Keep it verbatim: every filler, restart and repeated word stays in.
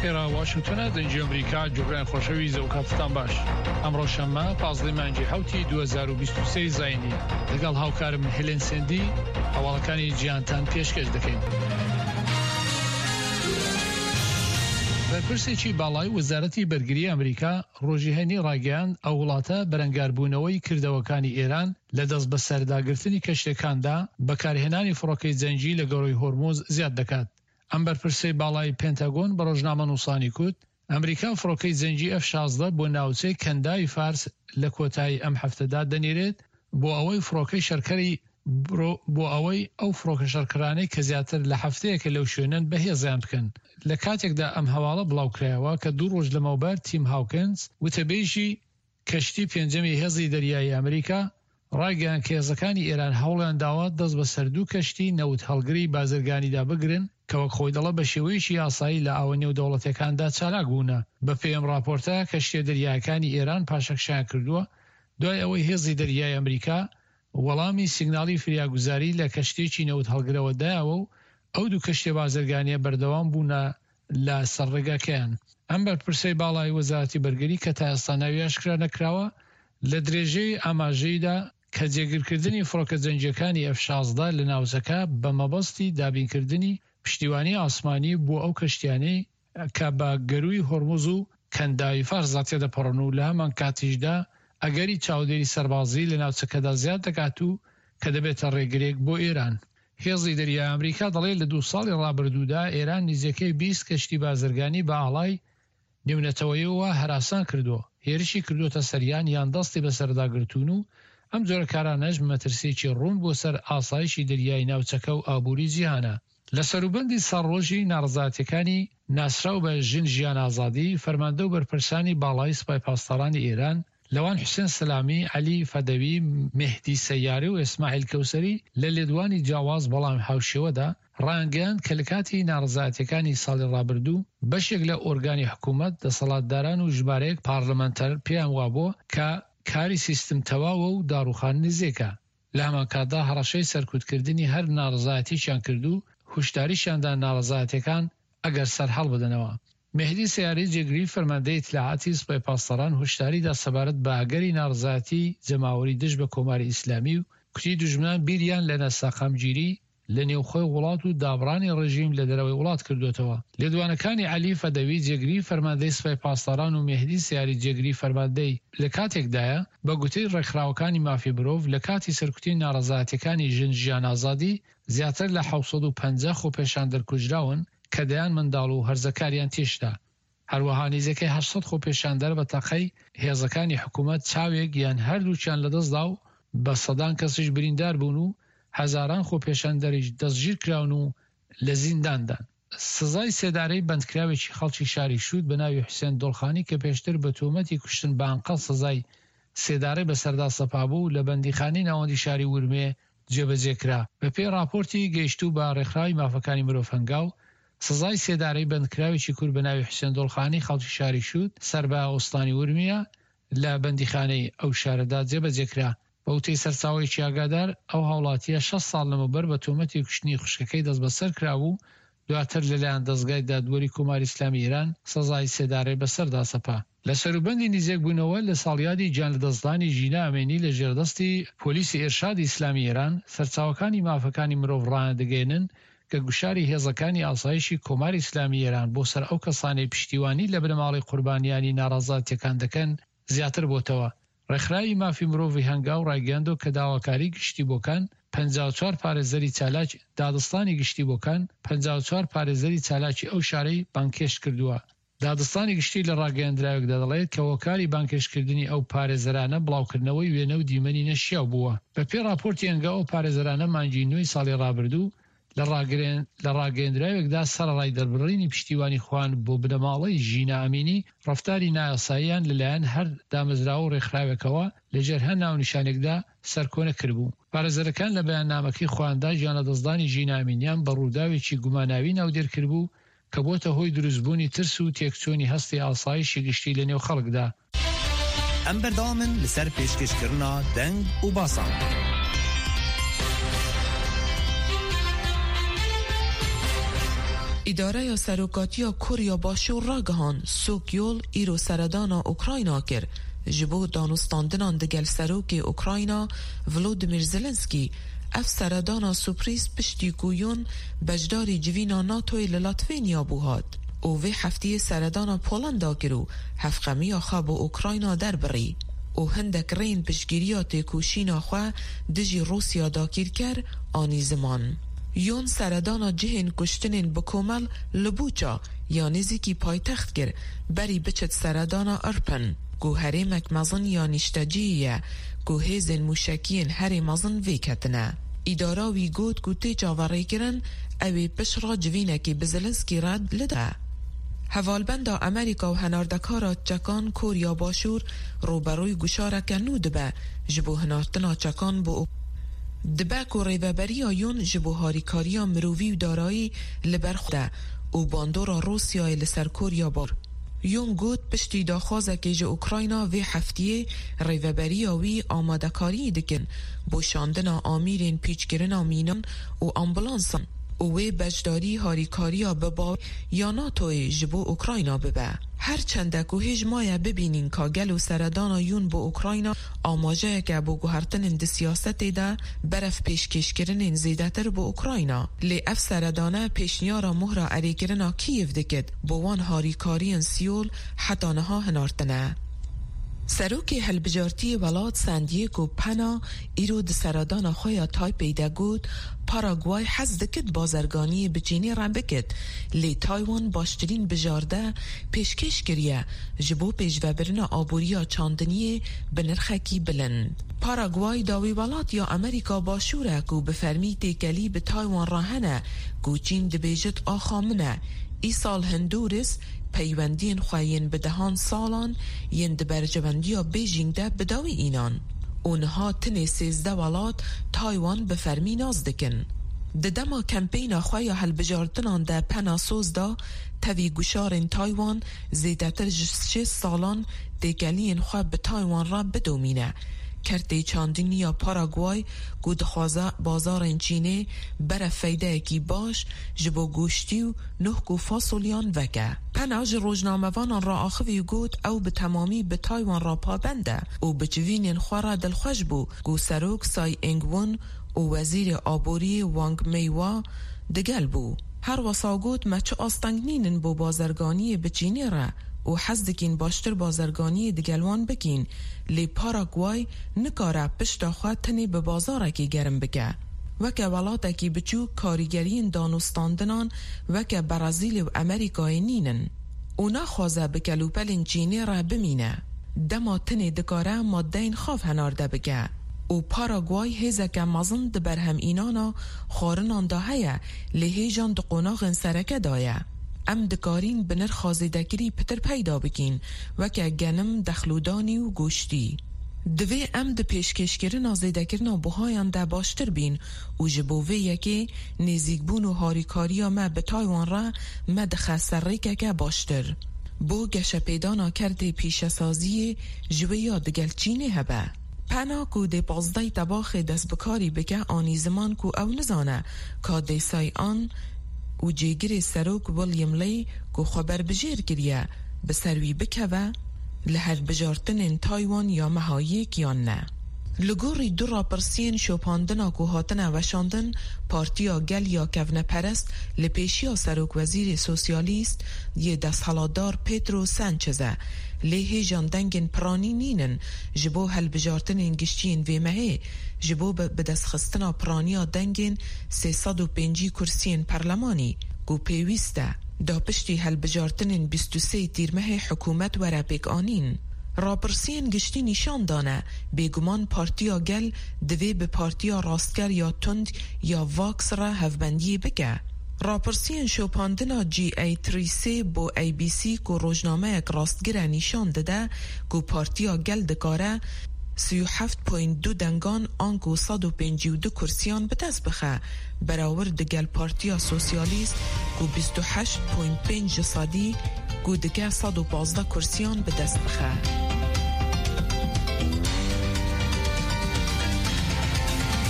ئێرە واشنگتۆنە، دەنگی ئەمریکا. جوگران خۆشەویست، ئەو کاتتان باش. ئەمڕۆ شەممە پازدەی مانگی حەوتی دوو هەزار و بیست و سێ زایینی، لەگەڵ هاوکارم هێلێن سێندی هەواڵەکانی جیهانتان پێشکەش دەکەین. بەرپرسێکی باڵای وەزارەتی بەرگری ئەمریکا ڕۆژی هەینی ڕایگەیاند، ئەو وڵاتە بەرەنگاربوونەوەی کردەوەکانی ئێران لە دەست بەسەرداگرتنی کەشتیەکاندا بەکارهێنانی فڕۆکەی جەنگی لە گەرووی هۆرموز زیاد دەکات. ئەم بەرپرسەی باڵای پنتاگۆن بە ڕۆژنامەنووسانی کوت، ئەمریکا فڕۆکەی جەنگی ئەف شازدە بۆ ناوچەی کەنداوی فارس لە کۆتایی ئەم هەفتەدا دەنێرێت بۆ ئەوەی فڕۆکەی شەرکەری بۆ ئەوەی ئەو فڕۆکە شەڕکەرانەی کە زیاتر لە هەفتەیەکە لەو شوێنەن بەهێزیان بکەن. لە کاتێکدا ئەم هەواڵە بڵاوکرایەوە کە دوو ڕۆژ لەمەوبەر تیم هاوکنز وتەبێژی کەشتی پێنجەمی هێزی دەریایی ئەمریکا ڕایگەیاند کە هێزەکانی ئێران هەوڵیان داوە دەست بەسەر دوو کەشتی نەوت هەڵگری بازرگانیدا بگرن کە وەک خۆی دەڵێ بە شێوەیەکی یاسایی لە ئاوە نێودەوڵەتیەکاندا چالاک بوونە. بەپێی ئەم راپۆرتە کەشتیە دەریایەکانی ئێران پاشەکشەیان کردووە دوای ئەوەی هێزی دەریای ئەمریکا وەڵامی سیگناڵی فریاگوزاری لە کەشتیەکی نەوت هەڵگرەوە دایەوە و ئەو دوو کەشتیە بازرگانیە بەردەوام بوونە لە سەر ڕێگاکەیان. ئەم بەرپرسەی باڵای وەزارەتی بەرگری کە تا ئێستا ناوی ئاشکرا نەکراوە لە درێژەی ئاماژەیدا کە جێگیرکردنی فڕۆکە جەنگیەکانی ئەف شازدە لە ناوچەکە بە مەبەستی دابینکردنی پشتیوانی ئاسمانی بۆ ئەو کەشتیانەی کە بە گەرووی هۆرموز و کەنداوی فارسدا تێدەپەڕن و لە هەمان کاتیشدا ئەگەری چاودێری سەربازی لە ناوچەکەدا زیاد دەکات و کە دەبێتە ڕێگرێک بۆ ئێران. هێزی دەریای ئەمریکا دەڵێت لە دوو ساڵی ڕابردوودا ئێران نزیکەی بیست کەشتی بازرگانی بە ئاڵای نێونەتەوەیەوە هەراسان کردووە، هێرشی کردووەتە سەریان یان دەستی بەسەرداگرتوون و ئەم جۆرە کارانەش مەترسیەکی ڕوون بۆ سەر ئاسایشی دەریای ناوچەکە و ئابووری جیهانە. لە سەروبەندی ساڵڕۆژی ناڕەزایەتیەکانی ناسراو بە ژن ژیان ئازادی، فەرماندە و بەرپرسانی باڵای سپای پاسدارانی ئێران لەوان حوسێن سەلامی، عەلی فەدەوی، مێهدی سەیاری و ئیسماعیل کەوسەری لە لێدوانی جیاواز بەڵام هاوشێوەدا ڕایانگەیاند کە لە کاتی ناڕەزایەتیەکانی ساڵی ڕابردوو بەشێک لە ئۆرگانی حکوومەت، دەسەڵاتداران و ژمارەیەک پارلمانتەر پێیان وابووە کە کاری سیستم تەواوە و داڕوخان نزیکە. لە هەمان کاتدا هەڕەشەی سەرکوتکردنی هەر ناڕەزایەتیەکیان کرد و هوشداریشیاندا ناڕەزایەتیەکان ئەگەر سەرهەڵ بدەنەوە. مێهدی سەیاری جێگری فەرماندەی ئیتلاعاتی سپای پاسداران هوشداریدا سەبارەت بە ئەگەری ناڕەزایەتی جەماوەری دژ بە کۆماری ئیسلامی و کوتی دوژمنان بیریان لە ناسەقامگیری لە نێوخۆی وڵات و دابڕانی ڕژیم لە دەرەوەی وڵات کردوێتەوە. لێدوانەکانی عەلی فەدەوی جێگری فەرماندەی سپای پاسداران و مێهدی سەیاری جێگری فەرماندەی لە کاتێکدایە بە گوتەی ڕێکخراوەکانی مافی مرۆڤ لە کاتی سەرکوتی ناڕەزایەتیەکانی ژن ژیان ئازادی زیاتر لە حەوت سەد و پەنجا خۆپێشاندەر کوژراون کە دەیان منداڵ و هەرزەکاریان تێشدا. هەروەها نزیکەی هەشت سەد خۆپێشاندەر بە تەقەی هێزەکانی حکوومەت چاوێک یان هەردووکیان لەدەستدا و بە سەدان کەسیش بریندار بوون و هەزاران خۆپێشاندەریش دەستگیر کراون و لە زینداندان. سزای سێدارەی بەندکراوێکی خەڵکی شاری شوود بە ناوی حوسێن دۆڵخانی کە پێشتر بە تۆمەتی کوشتن بە ئەنقەست سزای سێدارەی بەسەردا سەپابوو لە بەندیخانەی ناوەندی شاری ورمێ جێبەجێ کرا. بەپێی ڕاپۆرتی گەیشتوو بە ڕێکخراوی مافەکانی مرۆڤ هەنگاو، سزای سێدارەی بەندکراوێکی کورد بە ناوی حوسێن دۆڵخانی خەڵکی شاری شوود سەر بە ئوستانی ورمیە لە بەندیخانەی ئەو شارەدا جێبەجێ کرا. بە وتەی سەرچاوەیەکی ئاگادار، ئەو هاوڵاتییە شەش ساڵ لەمەوبەر بە تۆمەتی کوشتنی خوشکەکەی دەستبەسەر کرابوو، دواتر لەلایەن دەزگای دادوەری کۆماری ئیسلامی ئێران سزای سێدارەی بەسەردا سەپا. لە سەروبەندی نزیکبوونەوە لە ساڵیادی گیانلەدەستدانی ژینا ئەمینی لە ژێردەستی پۆلیسی ئێرشادی ئیسلامی ئێران، سەرچاوەکانی مافەکانی مرۆڤ ڕایاندەگەیەنن کە گوشاری هێزەکانی ئاسایشی کۆماری ئیسلامی ئێران بۆ سەر ئەو کەسانەی پشتیوانی لە بنەماڵەی قوربانیانی ناڕەزایەتیەکان دەکەن زیاتر بۆتەوە. ڕێکخراوی مافی مرۆڤی هەنگاو ڕایگەیاندووە کە داواکاری گشتی بۆکان پەنجا و چوار پارێزەری چالاک دادستانی گشتی بۆکان پەنجا و چوار پارێزەری چالاکی ئەو شارەی بانگهێشت کردووە. دادستانی گشتی لە ڕاگەیەندراوێکدا دەڵێت کە هۆکاری بانگهێشتکردنی ئەو پارێزەرانە بڵاوکردنەوەی وێنە و دیمەنی نەشیاو بووە. بەپێی ڕاپۆرتی هەنگاو ئەو پارێزەرانە مانگی نۆی ساڵی ڕابردوو لە ڕاگەیەندراوێکدا سەرەڕای دەربڕینی پشتیوانی خۆیان بۆ بنەماڵەی ژینا ئەمینی، ڕەفتاری نایاساییان لەلایەن هەر دامەزراوە و ڕێکخراوێکەوە لەژێر هەر ناونیشانێکدا سەرکۆنە کردبوو. پارێزەرەکان لە بەیاننامەکەی خۆیاندا گیانلەدەستدانی ژینا ئەمینیان بە ڕووداوێکی گوماناوی ناودێر کردبوو کە بۆتە هۆی دروستبوونی ترس و تێکچوونی هەستی ئاسایشی گشتی لەنێو خەڵکدا. ئەم بەردەوامن لەسەر پێشکەشکردنا دەنگ و باسان. ئیدارەیا سەرۆکاتیا کۆریا باشوور ڕاگەهان سوک یۆل ئیرۆ سەردانا ئۆکراینا کرد ji bo danûstandinan digel serokê Ukrayna Volodymyr Zelensky ev seredana surprîz piştî ku Yoon beşdarî civîna NATOyê li Latvenya bû hat û vê hefteyê seredana Polanda kir û hevxemiya xwe bo Ukrayna derbirî û hindek rêyên piştgiriya têkoşîna xwe dijî Rûsya dagirker anî ziman. Yoon seredana cihên kuştinên bi komel li Buça ya nêzîkî paytext kir berî biçit seredana Irpin ku herêmek mezin ya nîşteciyê ye ku hêzên mûşekiyên herê mezin vê ketine. Îdara wî got ku tê çaverêkirin ew ê pişt civînekê bi Zelenskî re li de. Hevalbenda Amerîka û henardekara çekan Koriya Başûr rûberûyê guşareke nû dibe ji bo hinartina çekan bo dibe ku rêveberiya Yoon ji bo harîkariya mirovî û darayî li ber xwe de û bandora Rûsyayê li ser Koriya Bakur. Yoon got piştî daxwazekê ji Ukrayna vê hefteyê rêveberiya wî amadekariyê dikin bo şandina amîrên pîçkirina mînan û ambulansan û wê beşdarî harîkariya bi bawerî ya NATOyê ji bo Ukrayna bibe. Her çende ku hêj maye bibînîn ka gelo seredana Yoon bo Ukrayna amajeyeke bo guhertinên di siyasetê de berev pêşkêşkirinên zêdetir bo Ukrayna. Lê ev seredane pêşniyara mohra erêkirina Kiev dikit bo wan harîkariyên Seul heta niha hinartine. Serokê hilbijartiyê welat Santiago Pena îro di seredana xwe ya Taipei de got Paraguay hez dikit bazirganiyê bi Çînê re bikit lê Taywan baştirîn bijarde pêşkêş kiriye ji bo pêşvebirina aboriya çandiniyê bi nirxekî bilind. Paraguay dawî welat ya Amerîka Başûr e ku bi fermî têkelî bi Taywan re hene ku Çîn dibêjit axa min e. Îsal Hondurasê peywendiyên xwe yên bi dehan salan yên di berjewendiya Bêjîng de bi dawî înan û niha tenê sêzdeh welat Taywan bi fermî nas dikin. Di dema kempeyna xwe ya hilbijartinan de Pena soz da tevî guşarên Taywan zêdetir ji şêst salan têkeliyên xwe bi Taywan re bidomîne. Kertê çandiniya Paraguay ku dixwaze bazarên Çînê bere feydeyekî baş ji bo goştî û nohk û fasolyan veke. Pena ji rojnamevanan re axivî û got ew bi temamî bi Taywan re pabend e û bi civînên xwe re dilxweş bû ku Serok Tsai Ing-wen û Wezîrê Aboriyê Wang Mei-hua digel bû. Her wisa got me çi asteng nînin bo bazirganiyê bi Çînê re û hez dikîn baştir bazirganiyê digel wan bikîn lê Paraguay nikare pişta xwe tenê bi bazarekê germ bike. Weke welatekî biçûk karîgeriyên danûstandinan weke Brezîlê û Amerîkayê nînin û naxwaze bi kelûpelên Çînê re bimîne. Dema tenê dikare maddeyên xav henarde bike û Paraguay hêzeke mezin di berhemînana xwarinan de heye lê hêjan di qonaxên sereke de ye. Em dikarîn bi nirxa zêdekirî pitir peyda bikîn weke genim, dexlûdanî û goştî. Divê em di pêşkêşkirina zêdekirina buhayan de baştir bîn û ji bo vê yekê nêzîkbûn û harîkariya me bi Taywan re me dixe ser rêkeke baştir. Bo geşepêdana kertê pîşesaziyê ji wê ya digel Çînê hebe. Pena ku dê pazdeh tebaxê destbikarî bike anî ziman ku ew nizane ka dê Tsai an û cêgirê Serok William Lai ku xwe berbijêr kiriye bi ser wî bikeve li hilbijartinên Taywan ya meha yek yan ne. Li gorî du rapirsiyên şopandina ku hatine weşandin, Partiya Gel ya Kevneperest li pêşiya Serokwezîrê Sosyalîst yê desthilatdar Pedro Sanchez e lê hêjan dengên piranî nînin ji bo hilbijartinên giştiyên vê mehê ji bo bidestxistina piraniya dengên sê sed û pêncî kursiyên perlemanî ku pêwîst e da piştî hilbijartinên bîst û sê tîrmehê hikûmet were pêkanîn. Rapirsiyên giştî nîşan dane bêguman Partiya Gel divê bi Partiya Rastger ya Tund ya Vox re hevbendiyê bike. Rapirsiyên şopandina G A sê sê bo A B C ku rojnameyek rastgir e nîşan dide ku Partiya Gel dikare sî û heft point du dengan anku sed û pêncî û du kursiyan bi dest bixe berawir digel Partiya Sosyalîst ku bîst û heşt point pênc ji sedî ku dike sed û pazdeh kursiyan bi dest bixe.